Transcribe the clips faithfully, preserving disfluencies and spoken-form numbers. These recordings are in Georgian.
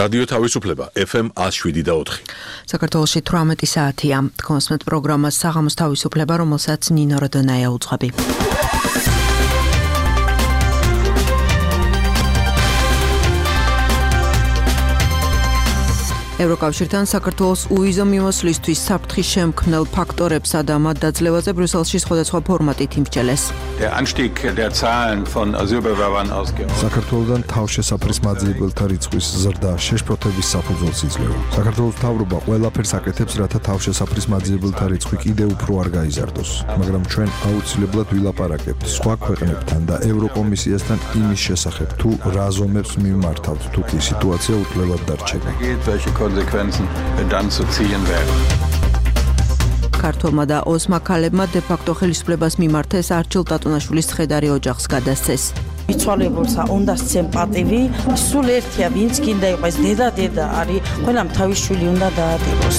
რადიო თავისუფლება ეფ ემ one oh seven და four. საქართველოში თვრამეტი საათია. კონსმეთ პროგრამას საღამოს თავისუფლება, რომელსაც ნინო როდონაია უძღვები. ევროკავშირთან საქართველოს უვიზო მიმოსვლისთვის საფრთხის შემქმნელ ფაქტორებსა და მათ დაძლევაზე ბრიუსელში სხვადასხვა ფორმატით იმსჯელეს. საქართველოსთან თავშესაფრის მაძიებელთა რიცხვის ზრდა შეშფოთების საფუძველს იძლევა. საქართველოს მთავრობა ყველაფერს აკეთებს, რათა თავშესაფრის მაძიებელთა რიცხვი კიდევ უფრო არ გაიზარდოს, მაგრამ ჩვენ აუცილებლად ვილაპარაკებთ სხვა ქვეყნებთან და ევროკომისიასთან იმის შესახებ, თუ რა ზომებს მიმართავთ, თუ კი სიტუაცია უთვლელად დარჩება. Konsequenzen dann zu ziehen werden. ქართველმა და ოსმა ქალებმა დე-ფაქტო ხელისუფლებას მიმართეს არჩილ ტატუნაშვილის ცხედარი ოჯახს გადასცეს. მიცვალებულსა უნდა სცემ პატივი, სულ ერთია, ვინც გინდა იყოს დედა დედა არის, ყველამ თავის შვილი უნდა დაატიროს.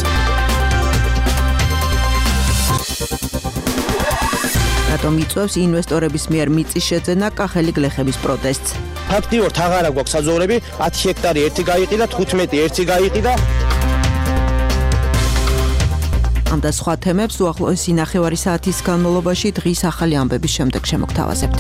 რატომ იწვევს ინვესტორების მიერ მიწის შეძენა კახელი გლეხების პროტესტს? ფაქტიურად აღარ აქვს საძოვრები, ათი ჰექტარი ერთი გაიყიდა, თხუთმეტი ერთი გაიყიდა. ამ და სხვა თემებს უახლოესი ნახევარი საათის განმავლობაში დღის ახალი ამბების შემდეგ შემოგთავაზებთ.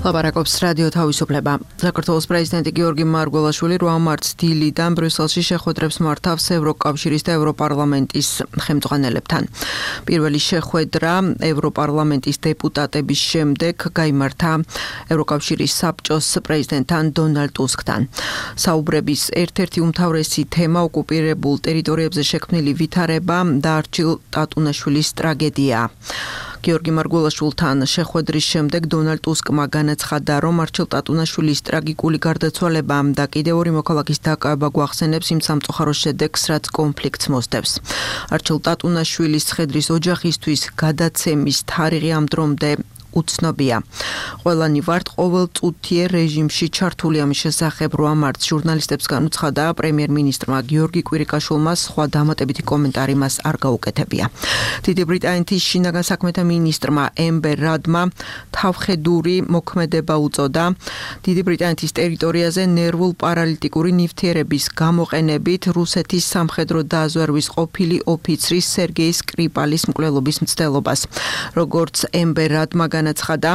ლაპარაკობს რადიო თავისუფლება. საქართველოს პრეზიდენტი გიორგი მარგველაშვილი რვა მარტს დილიდან ბრიუსელში შეხვედრებს მართავს ევროკავშირის და ევროპარლამენტის ხელმძღვანელებთან. პირველი შეხვედრა ევროპარლამენტის დეპუტატების შემდეგ გაიმართა ევროკავშირის საბჭოს პრეზიდენტთან დონალდ ტუსკთან. საუბრების ერთ-ერთი უმთავრესი თემა ოკუპირებულ ტერიტორიებზე შექმნილი ვითარება და არჩილ ტატუნაშვილის ტრაგედიაა. გიორგი მარგველაშვილთან შეხვედრის შემდეგ დონალდ ტუსკმა განაცხადა, რომ არჩილ ტატუნაშვილის ტრაგიკული გარდაცვალება და კიდევ ორი მოქალაქის დაკავება გვახსენებს იმ სამწუხაროს შედეგს, რაც კონფლიქტს მოსდევს. არჩილ ტატუნაშვილის ცხედრის ოჯახისთვის გადაცემის თარიღი ამ დრომდე უცნობია. ყველანი ვართ ყოველწუთიერ რეჟიმში ჩართული ამის შესახებ რვა მარტს ჟურნალისტებს განუცხადა პრემიერ-მინისტრმა გიორგი კვირიკაშვილმა, სხვა დამატებითი კომენტარი მას არ გაუკეთებია. დიდი ბრიტანეთის შინაგან საქმეთა მინისტრმა ემბერ რადმა თავხედური მოქმედება უწოდა დიდი ბრიტანეთის ტერიტორიაზე ნერვულ პარალიტიკური ნივთიერების გამოყენებით რუსეთის სამხედრო დაზვერვის ყოფილი ოფიცრის სერგეი სკრიპალის მკვლელობის მცდელობას. როგორც ემბერ რადმა განაცხადა,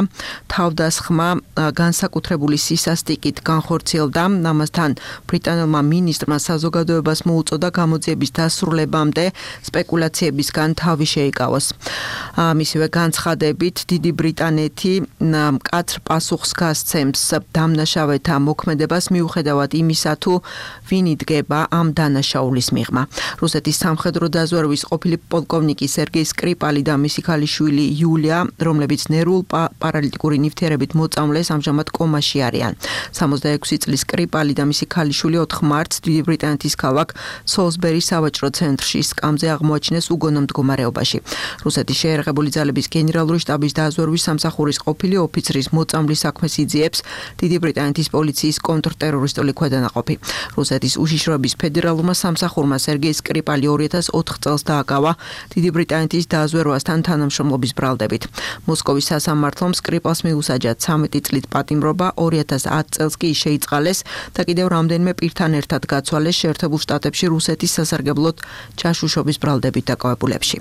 თავდასხმა განსაკუთრებული სისასტიკით განხორციელდა, ამასთან ბრიტანელმა მინისტრმა საზოგადოებას მოუწოდა გამოძიების დასრულებამდე სპეკულაციებისგან თავი შეიკავოს. მისივე განცხადებით დიდი ბრიტანეთი მკაცრ პასუხს გასცემს დამნაშავეთა მოქმედებას მიუხედავად იმისა, თუ ვინ იდგება ამ დანაშაულის მიღმა. რუსეთის სამხედრო დაზვერვის ყოფილი პოლკოვნიკი სერგეი სკრიპალი და მისი ქალიშვილი იულია, რომლებიც ნერვულ პარალიტიკური ნივთიერებით მოწამლეს, ამჟამად კომაში არიან. სამოცდაექვსი წლის სკრიპალი და მისი ქალიშვილი ოთხ მარტს დიდი ბრიტანეთის ქალაქ სოლსბერის სავაჭრო ცენტრში სკამზე აღმოაჩინეს უგონო მდგომარეობაში. რუსეთის შეერაღებული ძალების გენერალური შტაბის დაზვერვის სამსახურის ყოფილი ოფიცრის მოწამვლის საქმეს იძიებს დიდი ბრიტანეთის პოლიციის კონტრტერორისტული ქვედანაყოფი. რუსეთის უშიშროების ფედერალურმა სამსახურმა სერგეი სკრიპალი ორი ათას ოთხ წელს დააკავა დიდი ბრიტანეთის დაზვერვასთან თანამშრომლობის ბრალდებით. მოსკოვის სასამართლომ სკრიპალს მიუსაჯა ცამეტი წლით პატიმრობა, ორი ათას ათ წელს კი შეიწყალეს და კიდევ რამდენიმე პირთან ერთად გაცვალეს შეერთებულ შტატებში რუსეთის სასარგებლოდ ჩაშუშობის ბრალდებით დაკავებულებში.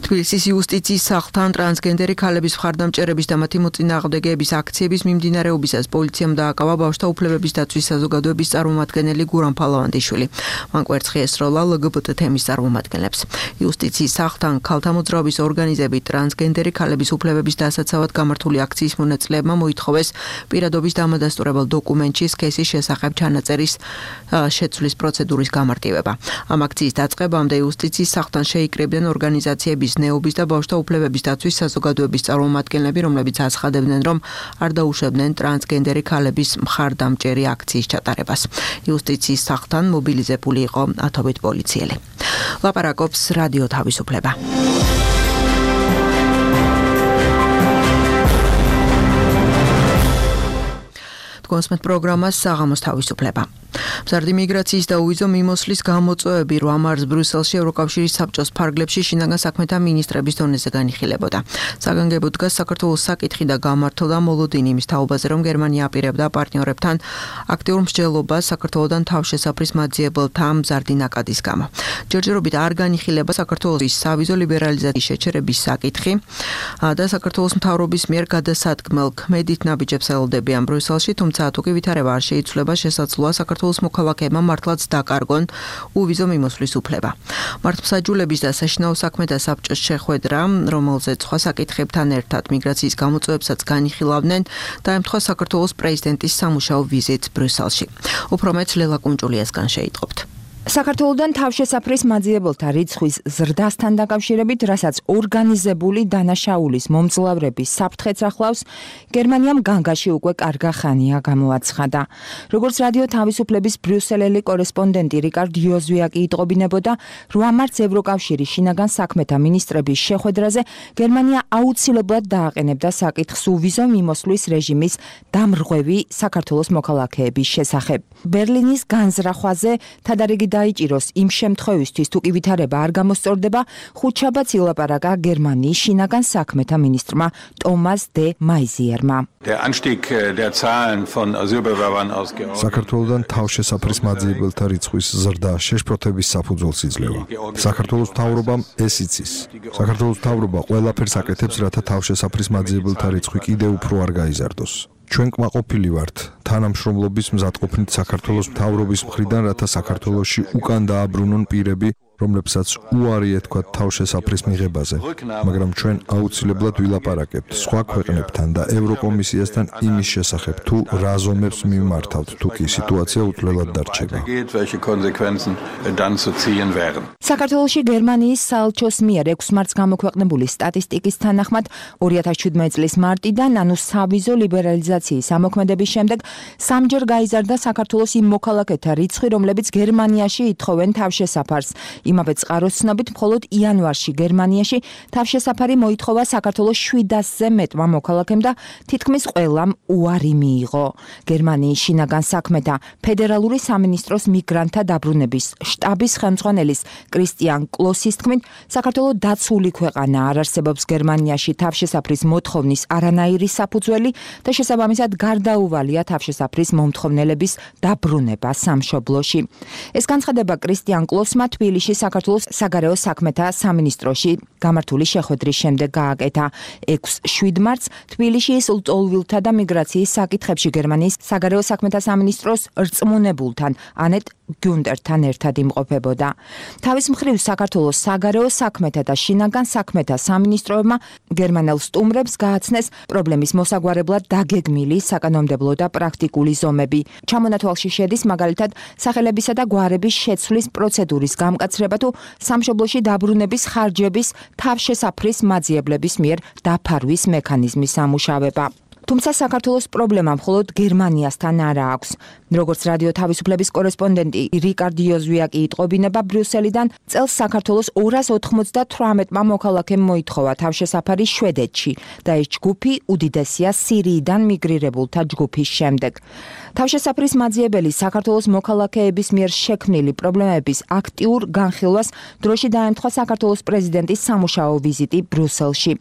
თბილისის იუსტიციის სახლთან ტრანსგენდერი ქალების მხარდამჭერების და მათი მოწინააღმდეგეების აქციების მიმდინარეობისას პოლიციამ დააკავა ბავშვთა უფლებების დაცვის საზოგადოების წარმომადგენელი გურამ ფალავანდიშვილი. მან კვერცხი ესროლა ელ გი ბი ტი თემის წარმომადგენლებს. იუსტიციის სახლთან ქალთა მოძრაობის ორგანიზებით ტრანსგენდერი ქალების უფლებების დასაცავად გამართული აქციის მონაწილეებმა მოითხოვეს პირადობის დამადასტურებელ დოკუმენტში სქესის შესახებ ჩანაწერის შეცვლის პროცედურის გამარტივება. ამ აქციის დაწყებამდე იუსტიციის სახლთან შეიკრიბნენ ორგანიზაციების ნეობის და ბავშვთა უფლებების დაცვის საზოგადოების წარმომადგენლები, რომლებიც აცხადებდნენ, რომ არ დაუშვებდნენ ტრანსგენდერი ქალების მხარდამჭერი აქციის ჩატარებას. იუსტიციის სახლთან მობილიზებული იყო ათობით პოლიციელი. ლაპარაკობს რადიო თავისუფლება. კონსმეთ პროგრამას საღამოს თავისუფლება. მზარდი მიგრაციის და უვიზო მიმოსვლის გამოწვევები რვა მარტს ბრიუსელში ევროკავშირის საბჭოს ფარგლებში შინაგან საქმეთა მინისტრების დონეზე განიხილებოდა. საგანგებოდ დგას საქართველოს საკითხი და გამართოდა მოლოდინი იმის თაობაზე, რომ გერმანია აპირებდა პარტნიორებთან აქტიურ მსჯელობას საქართველოდან თავშესაფრის მაძიებელთა მზარდი ნაკადის გამო. ჯერჯერობით არ განიხილება საქართველოს სავიზო ლიბერალიზაციის შეჩერების საკითხი და საქართველოს მთავრობის მიერ გადასადგმელ ქმედით ნაბიჯებს ელოდებიან ბრიუსელში, თუმცა თუ კი ვითარება არ შეიცვლება, შესაძლოა საქართველოს მოქალაქეებმა მართლაც დაკარგონ უვიზო მიმოსვლის უფლება. მართლმსაჯულების და საშინაო საქმეთა საბჭოს შეხვედრა, რომელზეც სხვა საკითხებთან ერთად მიგრაციის გამოწვევებსაც განიხილავდნენ, დაემთხვა საქართველოს პრეზიდენტის სამუშაო ვიზიტს ბრიუსელში. უფრო მეც ლელა კუნჭულიასგან შეიტყობთ. საქართველოდან თავშესაფრის მაძიებელთა რიცხვის ზრდასთან დაკავშირებით, რასაც ორგანიზებული დანაშაულის მომძლავრების საფრთხეც ახლავს, გერმანიამ განგაში უკვე კარგა ხანია გამოაცხადა. როგორც რადიო თავისუფლების ბრიუსელელი კორესპონდენტი რიკარდ იოზვიაკი იტყობინებოდა, რვა მარტს ევროკავშირის შინაგან საქმეთა მინისტრების შეხვედრაზე გერმანია აუცილებლად დააყენებდა საკითხს უვიზო მიმოსვლის რეჟიმის დამრღვევი საქართველოს მოქალაქეების შესახებ. ბერლინის განზრახვაზე თადარიგი დაიჭიროს იმ შემთხვევისთვის, თუ კი ვითარება არ გამოსწორდება, ხუთშაბათს ილაპარაკა გერმანიის შინაგან საქმეთა მინისტრმა ტომას დე მაიზიერმა. საქართველოდან თავშესაფრის მაძიებელთა რიცხვის ზრდა შეშფოთების საფუძველს იძლევა. საქართველოს მთავრობამ ეს იცის. საქართველოს მთავრობა ყველაფერს აკეთებს, რათა თავშესაფრის მაძიებელთა რიცხვი კიდევ უფრო არ გაიზარდოს. ჩვენ კმაყოფილი ვართ თანამშრომლობის მზადყოფნით საქართველოს მთავრობის მხრიდან, რათა საქართველოში უკან დააბრუნონ პირები, რომლებსაც უარი ეთქვათ თავშესაფრის მიღებაზე, მაგრამ ჩვენ აუცილებლად ვილაპარაკებთ სხვა ქვეყნებთან და ევროკომისიასთან იმის შესახებ, თუ რა ზომებს მიმართავთ, თუ კი სიტუაცია უცვლელად დარჩება. საქართველოში გერმანიის საელჩოს მიერ ექვს მარტს გამოქვეყნებული სტატისტიკის თანახმად, ორი ათას შვიდმეტი წლის მარტიდან, ანუ სავიზო ლიბერალიზაციის ამოქმედების შემდეგ, სამჯერ გაიზარდა საქართველოს იმ მოქალაქეთა რიცხვი, რომლებიც გერმანიაში ითხოვენ თავშესაფარს. იმავე წყაროს ცნობით, მხოლოდ იანვარში გერმანიაში თავშესაფარი მოითხოვა საქართველოს შვიდასზე მეტმა მოქალაქემ და თითქმის ყველამ უარი მიიღო. გერმანიის შინაგან საქმეთა ფედერალური სამინისტროს მიგრანტთა დაბრუნების შტაბის ხელმძღვანელის კრისტიან კლოსის თქმით, საქართველო დაცული ქვეყანა, არ არსებობს გერმანიაში თავშესაფრის მოთხოვნის არანაირი საფუძველი და შესაბამისად გარდაუვალია თავშესაფრის მომთხოვნელების დაბრუნება სამშობლოში. ეს განცხადება კრისტიან კლოსმა თბილისში საქართველოს საგარეო საქმეთა სამინისტროში გამართული შეხვედრის შემდეგ გააკეთა. ექვს შვიდ მარტს თბილისის ლტოლვილთა და მიგრაციის საკითხებში გერმანიის საგარეო საქმეთა სამინისტროს რწმუნებულთან ანეტ გუნტერთან ერთად იმყოფებოდა. თავის მხრივ საქართველოს საგარეო საქმეთა და შინაგან საქმეთა სამინისტროებმა გერმანელ სტუმრებს გააცნეს პრობლემის მოსაგვარებლად დაგეგმილი საკანონმდებლო და პრაქტიკული ზომები. ჩამონათვალში შედის მაგალითად სახელებისა და გვარების შეცვლის პროცედურის გამკაცრება თუ სამშობლოში დაბრუნების ხარჯების თავშესაფრის მაძიებლების მიერ დაფარვის მექანიზმის სამუშავება. თუმცა საქართველოს პრობლემა მხოლოდ გერმანიასთან არ აქვს. როგორც რადიო თავისუფლების კორესპონდენტი რიკარდ იოზვიაკი იტყობინება ბრიუსელიდან, წელს საქართველოს ორას ოთხმოცდათვრამეტმა მოქალაქემ მოითხოვა თავშესაფარი შვედეთში და ეს ჯგუფი უდიდესია სირიიდან მიგრირებულთა ჯგუფის შემდეგ. თავშესაფრის მაძიებელი საქართველოს მოქალაქეების მიერ შექმნილი პრობლემების აქტიურ განხილვას დროში დაემთხვა საქართველოს პრეზიდენტის სამუშაო ვიზიტი ბრიუსელში.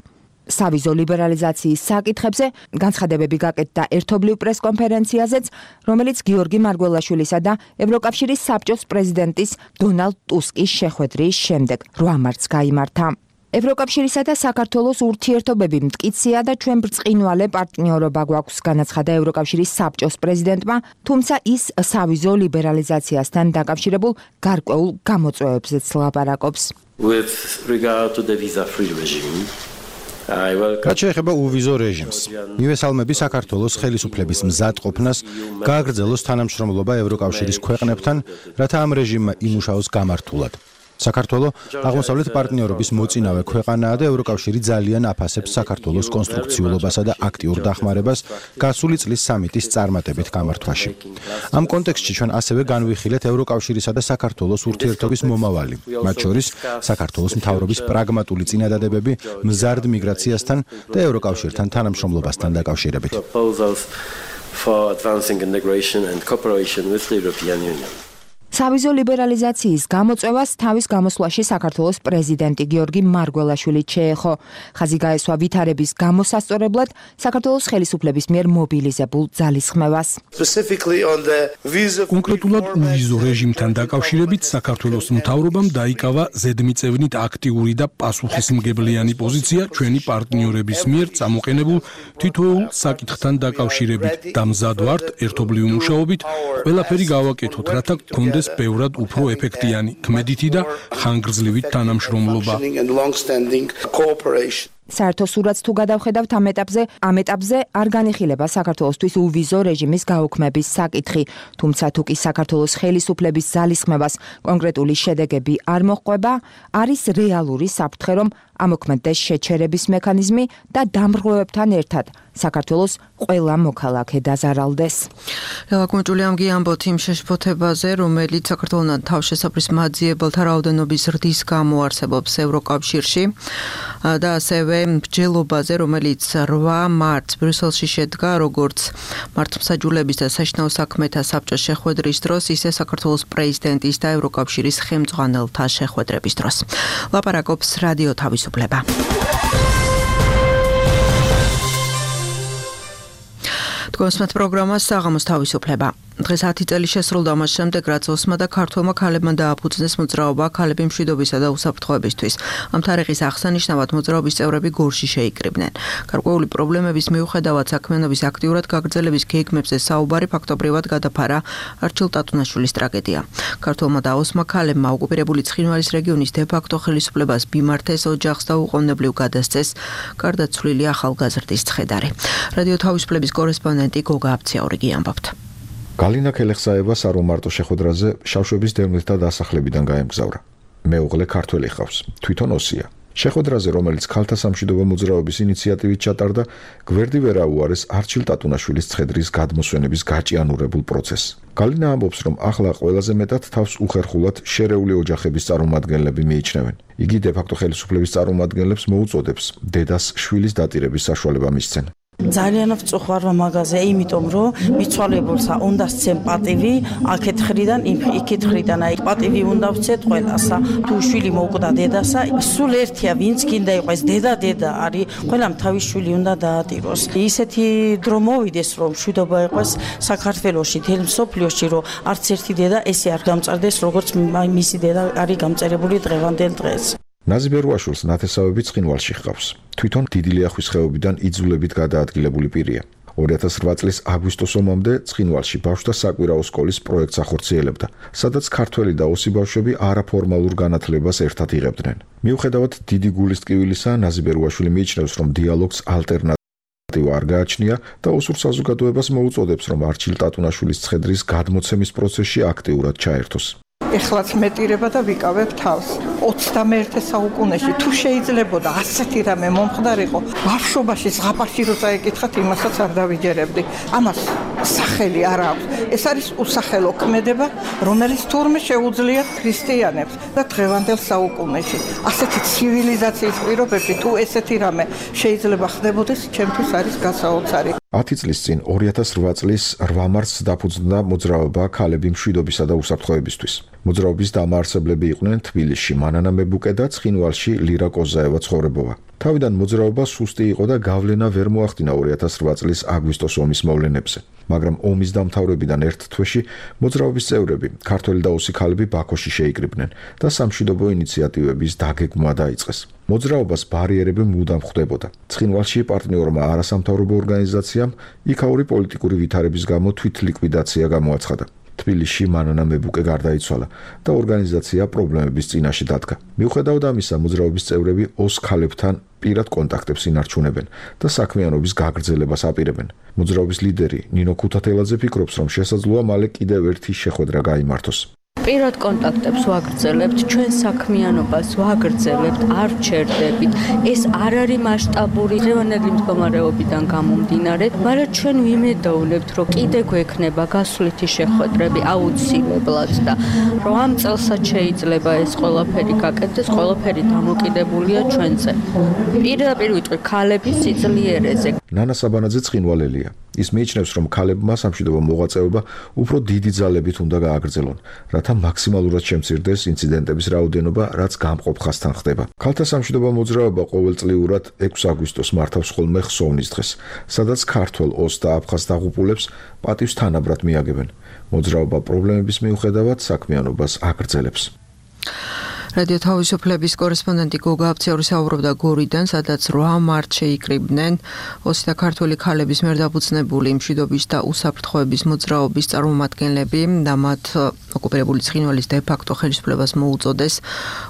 სავიზო ლიბერალიზაციის საკითხებზე განცხადებები გაკეთდა ერთობლივ პრესკონფერენციაზეც, რომელიც გიორგი მარგველაშვილისა და ევროკავშირის საბჭოს პრეზიდენტის დონალდ ტუსკის შეხვედრის შემდეგ რვა მარტს გაიმართა. ევროკავშირისა და საქართველოს ურთიერთობები მტკიცეა და ჩვენ ბრწყინვალე პარტნიორობა გვაქვს, განაცხადა ევროკავშირის საბჭოს პრეზიდენტმა, თუმცა ის სავიზო ლიბერალიზაციასთან დაკავშირებულ გარკვეულ გამოწვევებზეც ლაპარაკობს. With regard to the visa-free regime, რაც შეეხება უვიზო რეჟიმს, მივესალმები საქართველოს ხელისუფლების მზადყოფნას გააგრძელოს თანამშრომლობა ევროკავშირის ქვეყნებთან, რათა ამ რეჟიმმა იმუშაოს გამართულად. საქართველო აღმოსავლეთ პარტნიორობის მოწინავე ქვეყანაა და ევროკავშირი ძალიან აფასებს საქართველოს კონსტრუქციულობასა და აქტიურ დახმარებას გასული წლის სამიტის წარმატებით გამართვაში. ამ კონტექსტში ჩვენ ასევე განვიხილეთ ევროკავშირისა და საქართველოს ურთიერთობის მომავალი, მათ შორის საქართველოს მთავრობის პრაგმატული წინადადებები მზარდ მიგრაციასთან და ევროკავშირთან თანამშრომლობასთან დაკავშირებით. for advancing integration and cooperation with the European Union. სავიზო ლიბერალიზაციის გამოწვევას თავის გამოსვლაში საქართველოს პრეზიდენტი გიორგი მარგველაშვილი შეეხო. ხაზი გაესვა ვითარების გამოსასწორებლად საქართველოს ხელისუფლების მიერ მობილიზებულ ძალისხმევას. კონკრეტულად უვიზო რეჟიმთან დაკავშირებით საქართველოს მთავრობამ დაიკავა ზედმიწევნით აქტიური და პასუხისმგებლიანი პოზიცია ჩვენი პარტნიორების მიერ წამოყენებულ თითოეულ საკითხთან დაკავშირებით და მზად ვართ ერთობლივი მუშაობით ყველაფერი გავაკეთოთ, რათა გქონდეს ბევრად უფრო ეფექტიანი, ქმედითი და ხანგრძლივი თანამშრომლობა. საერთო სურათს თუ გადავხედავთ ამ ეტაპზე, ამ ეტაპზე არ განიხილება საქართველოსთვის უვიზო რეჟიმის გაუქმების საკითხი, თუმცა თუ კი საქართველოს ხელისუფლების ძალისხმევას კონკრეტული შედეგები არ მოჰყვება, არის რეალური საფრთხე, რომ ამოქმედდეს შეჩერების მექანიზმი და დამრღვევებთან ერთად საქართველოს ყველა მოქალაქე დაზარალდეს. ელა კუნჭულიამ გიამბოთ იმ შეშფოთებაზე, რომელიც საქართველოსთან თავშესაფრის მაძიებელთა რაოდენობის ზრდის გამო არსებობს ევროკავშირში და ასევე მსჯელობაზე, რომელიც რვა მარტს ბრიუსელში შედგა, როგორც მართლმსაჯულების და საშინაო საქმეთა საბჭოს შეხვედრის დროს, ისე საქართველოს პრეზიდენტის და ევროკავშირის ხელმძღვანელთა შეხვედრების დროს. ლაპარაკობს რადიო თავისუფლება. თქვენს პროგრამას საღამოს თავისუფლება. დღეს ათი წელი შესრულდა მას შემდეგ, რაც ოსმა და ქართველმა ქალებმა დააფუძნეს მოძრაობა ქალები მშვიდობისა და უსაფრთხოებისთვის. ამ თარიღის აღსანიშნავად მოძრაობის წევრები გორში შეიკრიბნენ. გარკვეული პრობლემების მიუხედავად საქმიანობის აქტიურად გაგრძელების გეგმებზე საუბარი ფაქტობრივად გადაფარა არჩილ ტატუნაშვილის ტრაგედია. ქართველმა და ოსმა ქალებმა ოკუპირებული ცხინვალის რეგიონის დე-ფაქტო ხელისუფლებას ბიმართეს ოჯახს და უყოვნებლივ გადასცეს გარდაცვლილი ახალგაზრდის ცხედარი. რადიო თავისუფლების კორესპონდენტი გოგა აბციაურიგი ამბობთ. გალინა ქელეხსაება სარომარტო შეხვედრაზე შავშების დევნილთა დასახლებიდან გაემგზავრა. მეუღლე ქართველი ხავს, თვითონ ოსია. შეხვედრაზე, რომელიც ქალთა სამშვიდობო მოძრაობის ინიციატივით ჩატარდა, გვერდი ვერ აუარეს არჩილ ტატუნაშვილის ცხედრის გადმოსვენების გაჭიანურებულ პროცესს. გალინა ამბობს, რომ ახლა ყველაზე მეტად თავს უხერხულად შერეული ოჯახების წარმომადგენლები მიიჩნევენ. იგი დე-ფაქტო ხელისუფლების წარმომადგენლებს მოუწოდებს დედას შვილის დატირების საშუალება მისცენ. ძალიან ვწუხარ მაგაზე, იმიტომ რომ მიცვალებულსა უნდა სცენ პატივი, აქეთ ხრიდან, იქით ხრიდან, აი პატივი უნდა ვცეთ ყველასა. თუ შვილი მოუკვდა დედასა, სულ ერთია, ვინც გინდა იყოს დედა დედა არის, ყველამ თავის შვილი უნდა დაატიროს. ისეთი დრო მოვიდეს, რომ მშვიდობა იყოს საქართველოში, თელ მსოფლიოში, რომ არც ერთი დედა ესე არ გამწარდეს, როგორც მისი დედა არის გამწერებული დღევანდელ დღეს. ნაზი ბერუაშვილს ნათესავები ცხინვალში ჰყავს. თვითონ დიდი ლიახვის ხეობიდან იძულებით გადაადგილებული პირია. ორი ათას რვა წლის აგვისტოს ომამდე ცხინვალში ბავშვთა საკვირაო სკოლის პროექტს ახორციელებდა, სადაც ქართველი და ოსი ბავშვები არაფორმალურ განათლებას ერთად იღებდნენ. მიუხედავად დიდი გულის ტკივილისა, ნაზი ბერუაშვილი მიიჩნევს, რომ დიალოგს ალტერნატივა არ გააჩნია და ოსურ საზოგადოებას მოუწოდებს, რომ არჩილ ტატუნაშვილის ცხედრის გადმოცემის პროცესში აქტიურად ჩაერთოს. ეხლაც მეტირება და ვიკავებ თავს. ოცდამეერთე საუკუნეში თუ შეიძლებოდა ასეთი რამე მომხდარიყო, ბავშვობაში ზღაპარში რო წაეკითხათ, იმასაც არ დავიჯერებდი. ამას სახელი არ აქვს. ეს არის უსახელო ქმედება, რომელიც თურმე შეუძლია ქრისტიანებს და დღევანდელ საუკუნეში. ასეთი ცივილიზაციის პირობებში თუ ესეთი რამე შეიძლება ხდებოდეს, ჩემთვის არის გასაოცარი. ათი წლის წინ ორი ათას რვა წლის რვა მარტს დაფუძნდა მოძრაობა ქალები მშვიდობისა და უსაფრთხოებისთვის. მოძრაობის დამაარსებლები იყვნენ თბილისში მანანა მებუკე და ცხინვალში ლირა კოზაევა ცხოვრებოვა. თავიდან მოძრაობა სუსტი იყო და გავლენა ვერ მოახდინა ორი ათას რვა წლის აგვისტოს ომის მოვლენებზე. მაგრამ ომის დამთავრებიდან ერთ თვეში მოძრაობის წევრები, ქართველი და ოსი ქალები ბაქოში შეიკრიბნენ და სამშვიდობო ინიციატივების დაგეგმვა დაიწყეს. მოძრაობას ბარიერები მუდამ ხვდებოდა. ცხინვალში პარტნიორმა არასამთავრობო ორგანიზაციამ იქაური პოლიტიკური ვითარების გამო თვითლიკვიდაცია გამოაცხადა. თბილისში მანანა მებუკე გარდაიცვალა და ორგანიზაცია პრობლემების წინაშე დადგა. მიუხედავად ამისა, მოძრაობის წევრები ოს ქალებთან პირად კონტაქტებს ინარჩუნებენ და საქმიანობის გაგრძელებას აპირებენ. მოძრაობის ლიდერი ნინო ქუთათელაძე ფიქრობს, რომ შესაძლოა მალე კიდევ ერთი შეხვედრა გაიმართოს. პირად კონტაქტებს ვაგრძელებთ, ჩვენ საქმიანობას ვაგრძელებთ, არ ვჩერდებით. ეს არ არის მასშტაბური დღევანდელი მდგომარეობიდან გამომდინარე, მაგრამ ჩვენ ვიმედოვნებთ, რომ კიდე გვექნება გასვლითი შეხვედრები აუცილებლად და რომ ამ წელსაც შეიძლება ეს ყველაფერი გაკეთდეს, ყველაფერი დამოკიდებულია ჩვენზე. პირდაპირ ვიტყვი ქალების სიძლიერეზე. ნანა საბანაძე ცხინვალელია. ის მიიჩნევს, რომ ქალებმა სამშვიდობო მოღვაწეობა უფრო დიდი ძალებით უნდა გააგრძელონ, რათა მაქსიმალურად შემცირდეს ინციდენტების რაოდენობა, რაც გამყოფ ხასთან ხდება. ქალთა სამშვიდობო მოძრაობა ყოველწლიურად ექვსი აგვისტოს მართავს ხოლმე ხსოვნის დღეს, სადაც ქართველ ოს და აფხაზ დაღუპულებს პატივს თანაბრად მიაგებენ. მოძრაობა პრობლემების მიუხედავად საქმიანობას აგრძელებს. რადიო თავისუფლების კორესპონდენტი გოგა აფციორი საუბრობდა გორიდან, სადაც რვა მარტს შეიკრიბნენ ოსი და ქართველი ქალების მიერ დაფუძნებული მშვიდობის და უსაფრთხოების მოძრაობის წარმომადგენლები და მათ ოკუპირებული ცხინვალის დე-ფაქტო ხელისუფლებას მოუწოდეს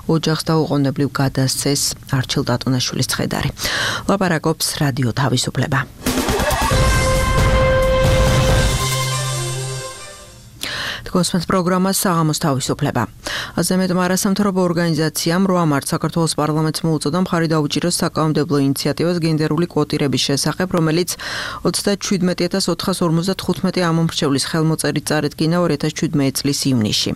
ოჯახს დაუყოვნებლივ გადასცეს არჩილ დატუნაშვილის ცხედარი. ლაპარაკობს რადიო თავისუფლება. გოსმენთ პროგრამა საღამოს თავისუფლება. აზემეტმა არასამთავრობო ორგანიზაციამ რვა მარტს საქართველოს პარლამენტს მოუწოდა მხარი დაუჭიროს საკანონმდებლო ინიციატივას გენდერული კვოტირების შესახებ, რომელიც ოცდაჩვიდმეტი ათას ოთხას ორმოცდათხუთმეტი ამომრჩევლის ხელმოწერით წარადგინა ორი ათას შვიდმეტი წლის ივნისში.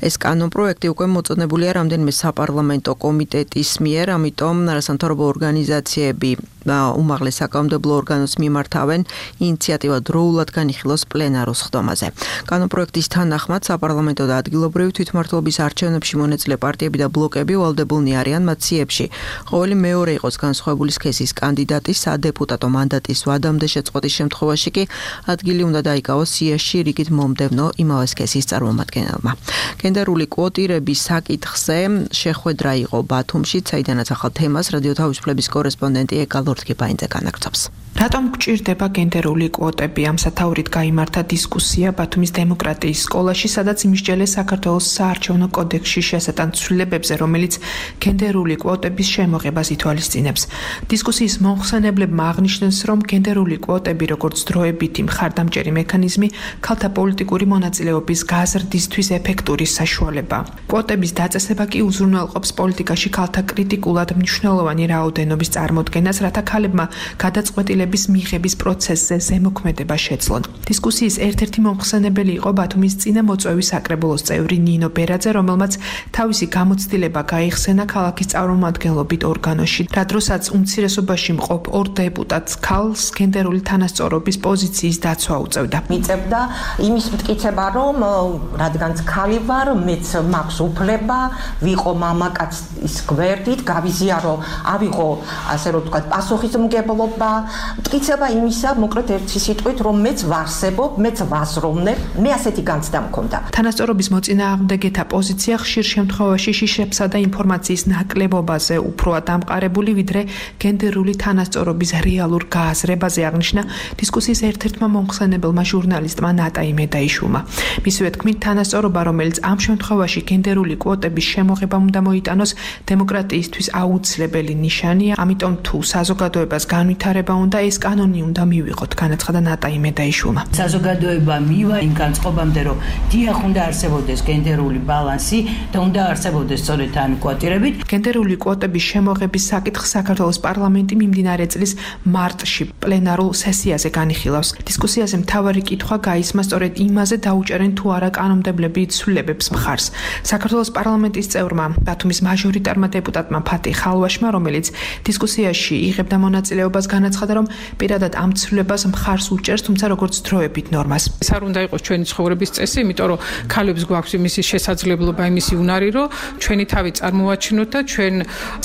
ეს კანონპროექტი უკვე მოწოდებულია რამდენიმე საპარლამენტო კომიტეტის მიერ, ამიტომ არასამთავრობო ორგანიზაციები უმაღლეს საკანონმდებლო ორგანოს მიმართავენ ინიციატივა დროულად განიხილოს პლენარულ სხდომაზე. კანონპროექტის თანახმად საპარლამენტო და ადგილობრივი თვითმმართველობის არჩევნებში მონაწილე პარტიები და ბლოკები ვალდებულნი არიან მათ სიებში ყოველი მეორე იყოს განსხვავებული სქესის კანდიდატი სადეპუტატო მანდატის ვადამდე შეწყვეტის შემთხვევაში კი ადგილი უნდა დაიკავოს სიაში რიგით მომდევნო იმავე სქესის წარმომადგენელმა. გენდერული კვოტირების საკითხზე შეხვედრა იყო ბათუმში, საიდანაც ახალ თემას რადიო თავისუფლების კორესპონდენტი ეკალ ორთქიფაინძე განაგრძობს. რატომ გჭირდება გენდერული კვოტები? ამ სათაურით გაიმართა დისკუსია ბათუმის დემოკრატიის სკოლაში, სადაც იმსჯელეს საქართველოს საარჩევნო კოდექსში შესატან ცვლილებებზე, რომელიც გენდერული კვოტების შემოღებას ითვალისწინებს. დისკუსიის მომხსენებლებმა აღნიშნეს, რომ გენდერული კვოტები, როგორც დროებითი მხარდამჭერი მექანიზმი, ქალთა პოლიტიკური მონაწილეობის გაზრდისთვის ეფექტური საშუალებაა. კვოტების დაწესება კი უზრუნველყოფს პოლიტიკაში ქალთა კრიტიკულად მნიშვნელოვანი რაოდენობის წარმოდგენას, რათა ქალებმა გადაწყვეტილების მიღების პროცესზე ზემოქმედება შეძლონ. დისკუსიის ერთ-ერთი მომხსენებელი იყო ბათუმის წინამოწვევის საკრებულოს წევრი ნინო ბერაძე, რომელმაც თავისი გამოცდილება გაიხსენა ქალაქის წარმომადგენლობით ორგანოში, რა დროსაც უმცირესობაში მყოფ ორ დეპუტატს ქალს გენდერული თანასწორობის პოზიციის დაცვა უწევდა. მიწევდა იმის მტკიცება, რომ რადგანაც ქალი ვარ, მეც მაქვს უფლება ვიყო მამაკაცის გვერდით, გავიზიარო, ავიღო ასე რომ ვთქვათ, პასუხისმგებლობა, მტკიცება იმისა, მოკლედ ერთი სიტყვით, რომ მეც ვარსებობ, მეც ვაზროვნებ, მე ასეთი განცდა მქონდა. თანასწორობის მოწინააღმდეგეთა პოზიცია ხშირ შემთხვევაში შიშებსა და ინფორმაციის ნაკლებობაზე უფროა დამყარებული, ვიდრე გენდერული თანასწორობის რეალურ გააზრებაზე, აღნიშნა დისკუსიის ერთ-ერთმა მომხსენებელმა ჟურნალისტმა ნატაი მედაიშვილმა. მისივე თქმით, თანასწორობა, რომელიც ამ შემთხვევაში გენდერული კვოტების შემოღებამ უნდა მოიტანოს, დემოკრატიისთვის აუცილებელი ნიშანია, ამიტომ თუ საზოგადოებას განვითარება უნდა, ეს კანონი უნდა მივიღოთ, განაცხადა ნატაი მედაიშვილმა. საზოგადოება მივა იმ განწყობამდე, რომ დიახ უნდა არსებობდეს გენდერული ბალანსი და უნდა არსებობდეს სწორედ ამ კვოტირებით. გენდერული კვოტების შემოღების საკითხს საქართველოს პარლამენტი მიმდინარე წლის მარტში პლენარულ სესიაზე განიხილავს. დისკუსიაზე მთავარი კითხვა გაისმა სწორედ იმაზე, დაუჭერენ თუ არა კანონმდებლები ცვლილებებს მხარს. საქართველოს პარლამენტის წევრმა, ბათუმის მაჟორიტარმა დეპუტატმა ფათი ხალვაშმა, რომელიც დისკუსიაში იღებდა მონაწილეობას, განაცხადა, რომ პირადად ამ ცვლილებას მხარს უჭერს, თუმცა როგორც დროებით ნორმას. ეს არ უნდა იყოს ჩვენი ცხოვრების წესი, იმიტომ რომ ქალებს გვაქვს იმისი შესაძლებლობა, იმისი უნარი, რომ ჩვენი თავი წარმოვაჩინოთ და ჩვენ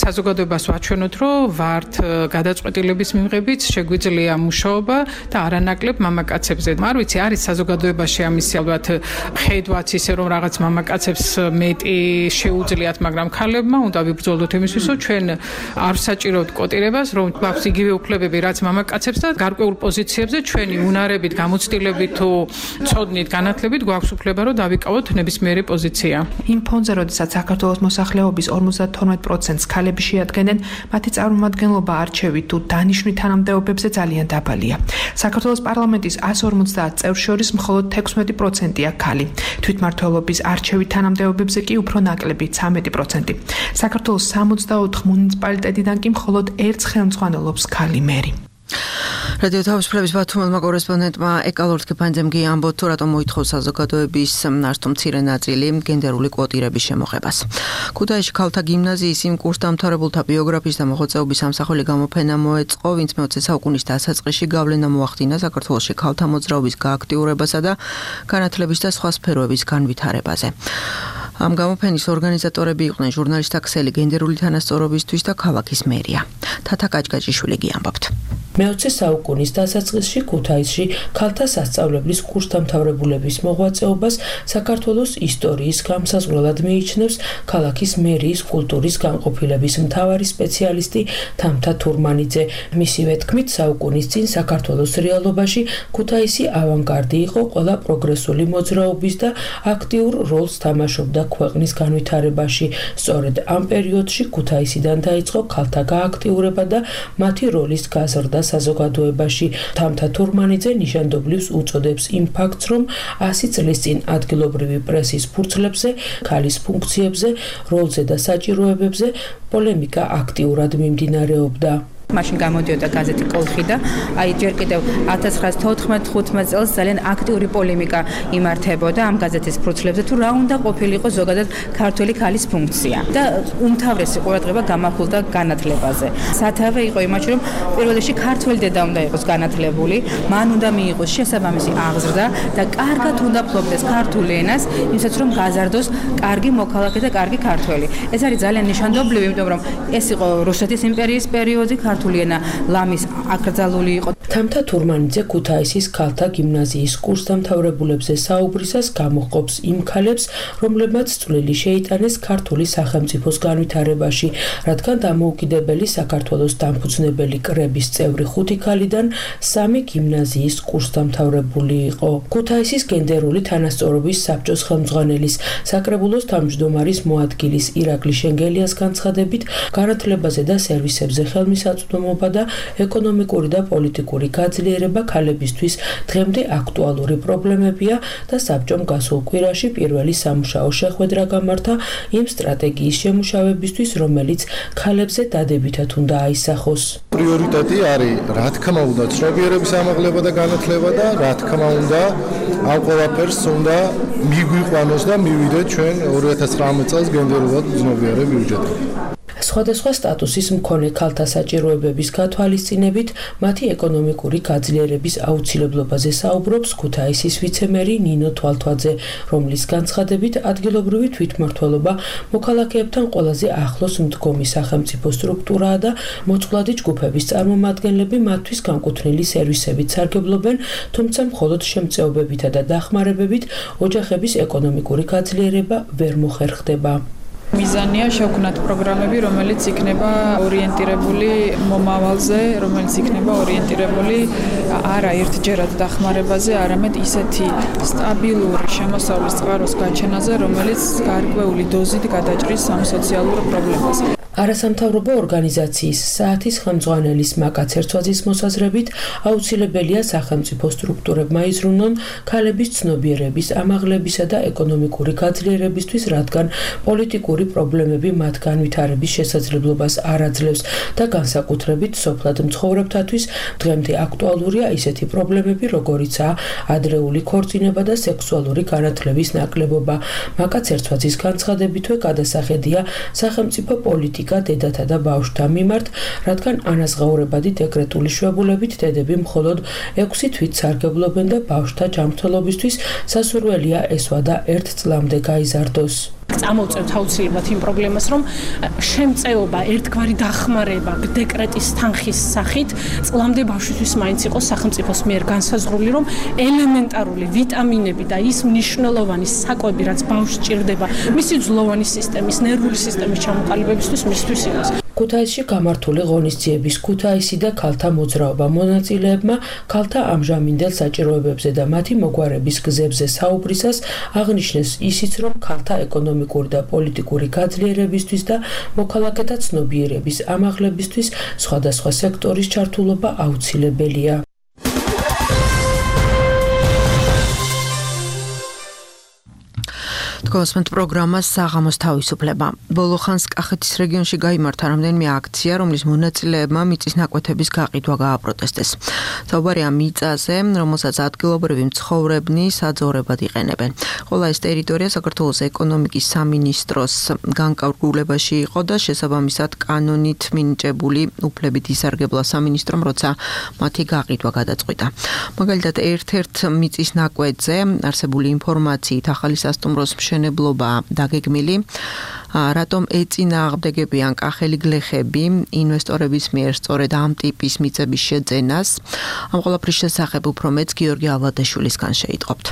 საზოგადოებას ვაჩვენოთ, რომ ვართ გადაწყვეტილების მიღებით, შეგვიძლია მუშაობა და არანაკლებ მამაკაცებზე. არ ვიცი, არის საზოგადოებაში ამისი ალბათ ხედვაც ისე, რომ რაღაც მამაკაცებს მეტი შეუძლიათ, მაგრამ ქალებმა უნდა ვიბრძოლოთ იმისთვის, რომ ჩვენ არ საჭიროთ კვოტირებას, რომ გვაქვს იგივე უფლებები, რაც მამაკაცებს და გარკვეულ პოზიციებზე ჩვენი უნარებით, გამოცდილებით თუ ცოდნით, განათლებით გვაქვს უფლება, რომ დავიკავოთ ნებისმიერი პოზიცია. იმ ფონზე, როდესაც საქართველოს მოსახლეობის ორმოცდათორმეტ პროცენტს ქალები შეადგენენ, მათი წარმომადგენლობა არჩევით თუ დანიშვნით თანამდებობებზე ძალიან დაბალია. საქართველოს პარლამენტის ასი ორმოცდაათ წევრს შორის მხოლოდ თექვსმეტი პროცენტია ქალი. თვითმმართველობის არჩევით თანამდებობებზე კი უფრო ნაკლები ცხრამეტი პროცენტი. საქართველოს სამოცდაოთხ მუნიციპალიტეტიდან კი მხოლოდ ერთ ხელმძღვანელობს ქალი მერი. რადიო თავისუფლების ბათუმელმა კორესპონდენტმა ეკალორთ კეფანძემ გიამბოთ თუ რატომ მოითხოვს საზოგადოების ნაშთო მცირე ნაწილი გენდერული კვოტირების შემოღებას. ქუთაისში ქალთა გიმნაზიის იმ კურსდამთავრებულთა ბიოგრაფიის და მოღვაწეობის სამსახური გამოფენა მოეწყო, ვინც მეოცე საუკუნის დასაწყისში გავლენა მოახდინა საქართველოში ქალთა მოძრაობის გააქტიურებასა და განათლების და სხვა სფეროების განვითარებაზე. ამ გამოფენის ორგანიზატორები იყვნენ ჟურნალისტთა ქსელი გენდერული თანასწორობისთვის და ქალაქის მერია. თათა კაჭკაჭიშვილი გიამბობთ. მეოცე საუკუნის დასაწყისში ქუთაისში ქალთა სასწავლებლის კურსდამთავრებულების მოღვაწეობას საქართველოს ისტორიის გამსაზღვრელად მიიჩნევს ქალაქის მერიის კულტურის განყოფილების მთავარი სპეციალისტი თამთა თურმანიძე. მისივე თქმით, საუკუნის წინ საქართველოს რეალობაში ქუთაისი ავანგარდი იყო ყველა პროგრესული მოძრაობის და აქტიურ როლს თამაშობდა ქვეყნის განვითარებაში. სწორედ ამ პერიოდში ქუთაისიდან დაიწყო ქალთა გააქტიურება და მათი როლის გაზრდა საზოგადოებაში. თამთა თურმანიძე ნიშანდობლივს უწოდებს იმ ფაქტს, რომ ასი წლის წინ ადგილობრივი პრესის ფურცლებზე, ქალის ფუნქციებზე, როლზე და საჭიროებებზე პოლემიკა აქტიურად მიმდინარეობდა. მაშინ გამოდიოდა გაზეთი კოლხი და აი ჯერ კიდევ ათას ცხრაას თოთხმეტ ხუთმეტ წელს ძალიან აქტიური პოლემიკა იმართებოდა ამ გაზეთის ფურცლებზე თუ რა უნდა ყოფილიყო ზოგადად ქართველი ქალის ფუნქცია და უმთავრესი ყურადღება გამახვილდა განათლებაზე. სათავე იყო იმაში, რომ პირველ რიგში ქართველი დედა უნდა იყოს განათლებული, მან უნდა მიიღოს შესაბამისი აღზრდა და კარგად უნდა ფლობდეს ქართულ ენას, იმისათვის რომ გაზარდოს კარგი მოქალაქე და კარგი ქართველი. ეს არის ძალიან ნიშანდობლივი, იმიტომ რომ ეს იყო რუსეთის იმპერიის პერიოდი, ქართულენა ლამის აკრძალული იყო. თამთა თურმანიძე ქუთაისის ქალთა გიმნაზიის კურსდამთავრებულებზე საუბრისას გამოჰყოფს იმ ქალებს, რომლებმაც წვლილი შეიტანეს ქართული სახელმწიფოს განვითარებაში, რადგან დამოუკიდებელი საქართველოს დამფუძნებელი კრების წევრი ხუთი ქალიდან სამი გიმნაზიის კურსდამთავრებული იყო. ქუთაისის გენდერული თანასწორობის საბჭოს ხელმძღვანელის, საკრებულოს თავმჯდომარის მოადგილის ირაკლი შენგელიას განცხადებით, განათლებაზე და სერვისებზე ხელმისაწვდომობა და ეკონომიკური და პოლიტიკური გაძლიერება ქალებისთვის დღემდე აქტუალური პრობლემებია და საბჭომ გასულ კვირაში პირველი სამუშაო შეხვედრა გამართა იმ სტრატეგიის შემუშავებისთვის, რომელიც ქალებზე დადებითად უნდა აისახოს. პრიორიტეტი არის, რა თქმა უნდა, ცნობიერების ამაღლება და განათლება და რა თქმა უნდა, ამ ყველაფერს უნდა მიგვიყვანოს და მივიდეთ ჩვენ ორი ათას ცხრამეტ წელს გენდერულად ცნობიერებ ბიუჯეტი. სხვადასხვა სტატუსის მქონე ქალთა საჭიროებების გათვალისწინებით მათი ეკონომიკური გაძლიერების აუცილებლობაზე საუბრობს ქუთაისის ვიცემერი ნინო თვალთვაძე, რომლის განცხადებით ადგილობრივი თვითმმართველობა მოქალაქეებთან ყველაზე ახლოს მდგომი სახელმწიფო სტრუქტურაა და მოწყვლადი ჯგუფების წარმომადგენლები მათთვის განკუთვნილი სერვისებით სარგებლობენ, თუმცა მხოლოდ შემწეობებითა და დახმარებებით ოჯახების ეკონომიკური გაძლიერება ვერ მოხერხდება. მიზანია შევქმნათ პროგრამები, რომელიც იქნება ორიენტირებული მომავალზე, რომელიც იქნება ორიენტირებული არა ერთჯერად დახმარებაზე, არამედ ისეთი სტაბილური შემოსავლის წყაროს გაჩენაზე, რომელიც გარკვეული დოზით გადაჭრის ამ სოციალურ პრობლემას. არასამთავრობო ორგანიზაციის საათის ხელმძღვანელის მაკა ცერცვაძის მოსაზრებით აუცილებელია სახელმწიფო სტრუქტურებმა იზრუნონ ქალების ცნობიერების ამაღლებისა და ეკონომიკური გაძლიერებისთვის, რადგან პოლიტიკური პრობლემები მათ განვითარების შესაძლებლობას არ აძლევს და განსაკუთრებით სოფლად მცხოვრებთათვის დღემდე აქტუალურია ისეთი პრობლემები, როგორიცაა ადრეული ქორწინება და სექსუალური განათლების ნაკლებობა. მაკა ცერცვაძის განცხადებითვე გადასახედია სახელმწიფო პოლიტიკა დედათა და ბავშვთა მიმართ, რადგან ანაზღაურებადი დეკრეტული შვებულებით დედები მხოლოდ ექვსი თვით სარგებლობენ და ბავშვთა ჯანმრთელობისთვის სასურველია ესვა და ერთ წლამდე გაიზარდოს. წამოვწევთ აუცილებლად იმ პრობლემას, რომ შემწეობა, ერთგვარი დახმარება დეკრეტის თანხის სახით წლამდე ბავშვისთვის მაინც იყოს სახელმწიფოს მიერ განსაზღვრული, რომ ელემენტარული ვიტამინები და ის მნიშვნელოვანი საკვები, რაც ბავშვს სჭირდება, მისი ძვლოვანი სისტემის, ნერვული სისტემის ჩამოყალიბებისთვის მისთვის იყოს. ქუთაისში გამართული ღონისძიების ქუთაისი და ქალთა მოძრაობა მონაწილეებმა ქალთა ამჟამინდელ საჭიროებებზე და მათი მოგვარების გზებზე საუბრისას აღნიშნეს ისიც, რომ ქალთა ეკონომიკური და პოლიტიკური გაძლიერებისთვის და მოქალაქეთა ცნობიერების ამაღლებისთვის სხვადასხვა სექტორის ჩართულობა აუცილებელია. Გოსმენტ პროგრამას საღამოს თავისუფლება. ბოლო ხანს კახეთის რეგიონში გაიმართა რამდენიმე აქცია, რომლის მონაწილეებმა მიწის ნაკვეთების გაყიდვა გააპროტესტეს. საუბარია მიწაზე, რომელსაც ადგილობრივი მცხოვრებნი საძოვრებად იყენებენ. ყველა ეს ტერიტორია საქართველოს ეკონომიკის სამინისტროს განკარგულებაში იყო და შესაბამისად კანონით მინიჭებული უფლებით ისარგებლა სამინისტრომ, როცა მათი გაყიდვა გადაწყვიტა. მაგალითად, ერთ-ერთ მიწის ნაკვეთზე არსებული ინფორმაციით ახალი სასტუმროს მშენებლობა დაგეგმილი, რატომ ეწინააღმდეგებიან კახელი გლეხები ინვესტორების მიერ სწორედ ამ ტიპის მიწების შეძენას. ამ ყველაფრის შესახებ უფრო მეც გიორგი ალვადაშვილისგან შეიტყობთ.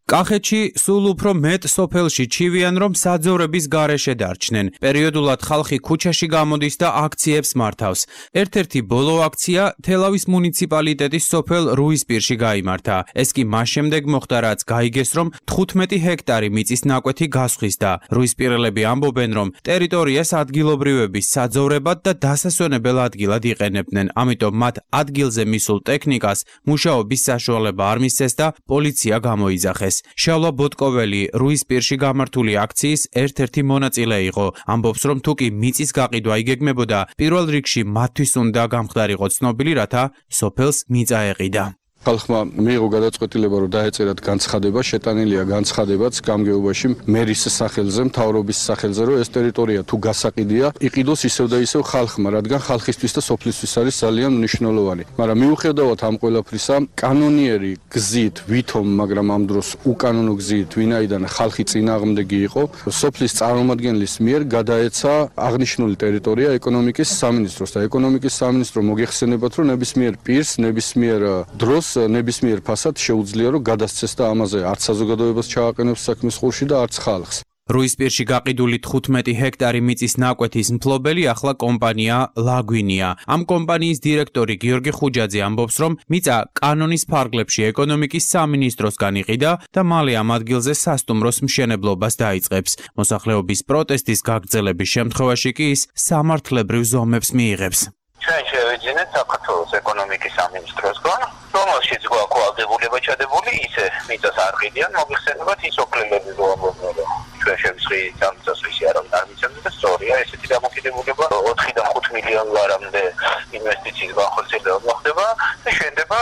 კახეთში სულ უფრო მეტ სოფელში ჩივიან, რომ საძოვრების გარეშე დარჩნენ. პერიოდულად ხალხი ქუჩაში გამოდის და აქციებს მართავს. ერთ-ერთი ბოლო აქცია თელავის მუნიციპალიტეტის სოფელ რუისპირში გაიმართა. ეს კი მას შემდეგ მოხდა, რაც გაიგეს, რომ თხუთმეტი ჰექტარი მიწის ნაკვეთი გასხვის და რუისპირელები ამბობენ, რომ ტერიტორიას ადგილობრივების საძოვრებად და დასასვენებელ ადგილად იყენებდნენ. ამიტომ მათ ადგილზე მისულ ტექნიკას მუშაობის საშუალება არ მისცეს და პოლიცია გამოიძახეს. შავლა ბოტკოველი რუისპირში გამართული აქციის ერთ-ერთი მონაწილე იყო. ამბობს, რომ თუ კი მიწის გაყიდვა იგეგმებოდა, პირველ რიგში მათთვის უნდა გამხდარიყო ცნობილი, რათა სოფელს მიწა ეყიდა. ხალხმა მიიღო გადაწყვეტილება, რომ დაეწერათ განცხადება, შეტანილია განცხადებაც გამგეობაში მერის სახელზე, მთავრობის სახელზე, რომ ეს ტერიტორია თუ გასაყიდია, იყიდოს ისევ და ისევ ხალხმა, რადგან ხალხისთვის და სოფლისთვის არის ძალიან მნიშვნელოვანი. მაგრამ მიუხედავად ამ ყველაფრისა, კანონიერი გზით, ვითომ, მაგრამ ამ დროს უკანონო გზით, ვინაიდან ხალხი წინააღმდეგი იყო, სოფლის წარმომადგენლის მიერ გადაეცა აღნიშნული ტერიტორია ეკონომიკის სამინისტროს და ეკონომიკის სამინისტრო მოგეხსენებათ, რომ ნებისმიერ პირს, ნებისმიერ დროს ნებისმიერ ფასად შეუძლია რომ გადასცეს და ამაზე არც საზოგადოებას ჩააყენებს საქმის ხურში და არც ხალხს. რუისპირში გაყიდული თხუთმეტი ჰექტარი მიწის ნაკვეთის მფლობელი ახლა კომპანია ლაგვინია. ამ კომპანიის დირექტორი გიორგი ხუჯაძე ამბობს, რომ მიწა კანონის ფარგლებში ეკონომიკის სამინისტროსგან იყიდა და მალე ამ ადგილზე სასტუმროს მშენებლობას დაიწყებს. მოსახლეობის პროტესტის გაგრძელების შემთხვევაში კი ის სამართლებრივ ზომებს მიიღებს. ჩვენ შევეძინეთ საქართველოს ეკონომიკის სამინისტროსგან, რომელშიც გვაქვს ვალდებულება ჩადებული, ისე მიწას არ ყიდიან, მოგიხსენებათ ის ოფლელები რო ამბობენ, რომ ჩვენ შევსხდით ამ წასვლისი არავინ არ მიცემს და სწორია, ესეთი დამოკიდებულება ოთხიდან ხუთ მილიონ ლარამდე ინვესტიციის განხორციელება ხდება და შენდება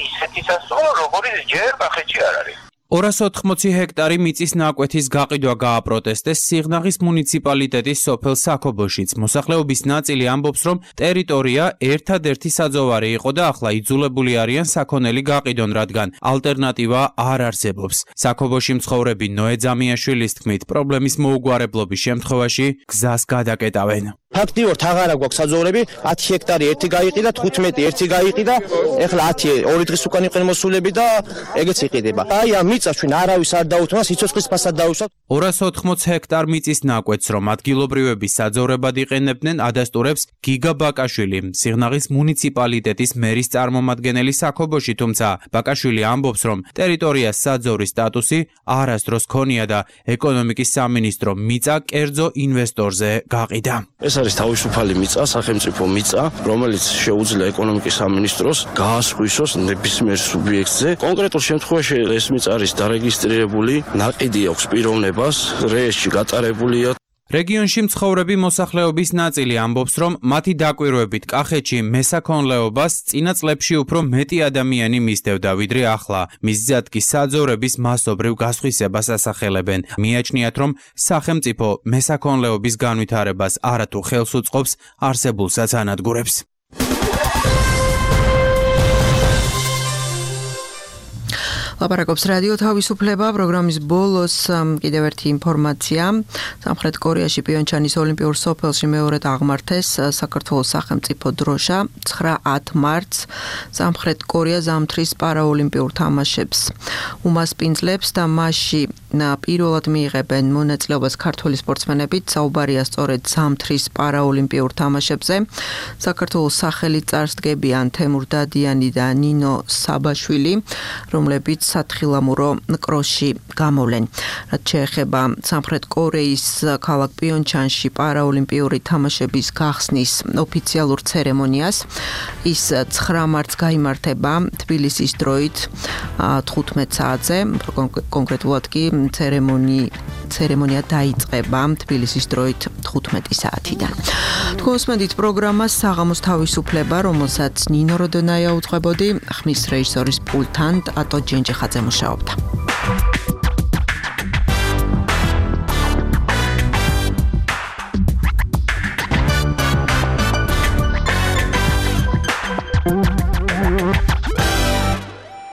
ისეთი სასტუმრო, როგორც ჯერ კახეთში არ არის. ორას ოთხმოცი ჰექტარი მიწის ნაკვეთის გაყიდვა გააპროტესტეს სიღნაღის მუნიციპალიტეტის სოფელ საქობოშიც. მოსახლეობის ნაწილი ამბობს, რომ ტერიტორია ერთადერთი საძოვარი იყო და ახლა იძულებული არიან საქონელი გაყიდონ, რადგან ალტერნატივა არ არსებობს. საქობოში მცხოვრები ნოე ძამიაშვილის თქმით, პრობლემის მოუგვარებლობის შემთხვევაში გზას გადაკეტავენ. ფაქტიურად აღარა გვაქვს საძოვრები, ათი ჰექტარი ერთი გაიყიდა, თხუთმეტი ერთი გაიყიდა, ეხლა ათი ორი დღის უკან იყვნენ მოსულები და ეგეც იყიდება. აი ამ მიწას ჩვენ არავის არ დაუთმო, სიცოცხლის ფასად დაუსვათ. ორას ოთხმოცი ჰექტარ მიწის ნაკვეთს, რომ ადგილობრივები საძოვრებად იყენებდნენ, ადასტურებს გიგა ბაკაშვილი, სიღნაღის მუნიციპალიტეტის მერის წარმომადგენელი საქობოში, თუმცა ბაკაშვილი ამბობს, რომ ტერიტორიას საძოვრის სტატუსი არასდროს ქონია და ეკონომიკის სამინისტრო მიწა კერძო ინვესტორზე გაყიდა. ეს არის თავისუფალი მიწა, სახელმწიფო მიწა, რომელიც შეუძლია ეკონომიკის სამინისტროს გაასხვისოს ნებისმიერ სუბიექტზე. კონკრეტულ შემთხვევაში ეს მიწა არის დარეგისტრირებული, ნაყიდი აქვს პიროვნებას, რეესტრში გატარებულია. რეგიონში მცხოვრები მოსახლეობის ნაწილი ამბობს, რომ მათი დაკვირვებით კახეთში მესაქონლეობას წინა წლებში უფრო მეტი ადამიანი მისდევდა, ვიდრე ახლა. მისზად კი საძოვრების მასობრივ გასხვისებას ასახელებენ. მიაჩნიათ, რომ სახელმწიფო მესაქონლეობის განვითარებას არათუ ხელს უწყობს, არსებულსაც ანადგურებს. ლაპარაკობს რადიო თავისუფლება პროგრამის ბოლოს კიდევ ერთი ინფორმაცია. სამხრეთ კორეაში პიონჩანის ოლიმპიურ სოფელში მეორედ აღმართეს საქართველოს სახელმწიფო დროშა ცხრა ათ მარტს სამხრეთ კორეა ზამთრის პარაოლიმპიურ თამაშებს უმასპინძლებს და მასში პირველად მიიღებენ მონაწილეობას ქართველი სპორტსმენები. საუბარია სწორედ ზამთრის პარაოლიმპიურ თამაშებზე. საქართველოს სახელით წარსდგებიან თემურ დადიანი და ნინო საბაშვილი, რომლებიც სათხილამურო კროსში გამოვლენ. რაც შეეხება სამხრეთ კორეის ქალაქ პიონჩანში პარაოლიმპიური თამაშების გახსნის ოფიციალურ ცერემონიას, ის ცხრა მარტს გაიმართება თბილისის დროით თხუთმეტ საათზე, კონკრეტულად კი ცერემონი ცერემონია დაიწყება თბილისის დროით თხუთმეტი საათიდან. თქვენსმენთ პროგრამას საღამოს თავისუფლება, რომელსაც ნინო როდონაია უძღვებოდი, ხმის რეჟისორის პულტთან ატო ჯენჯეხაძე მუშაობდა.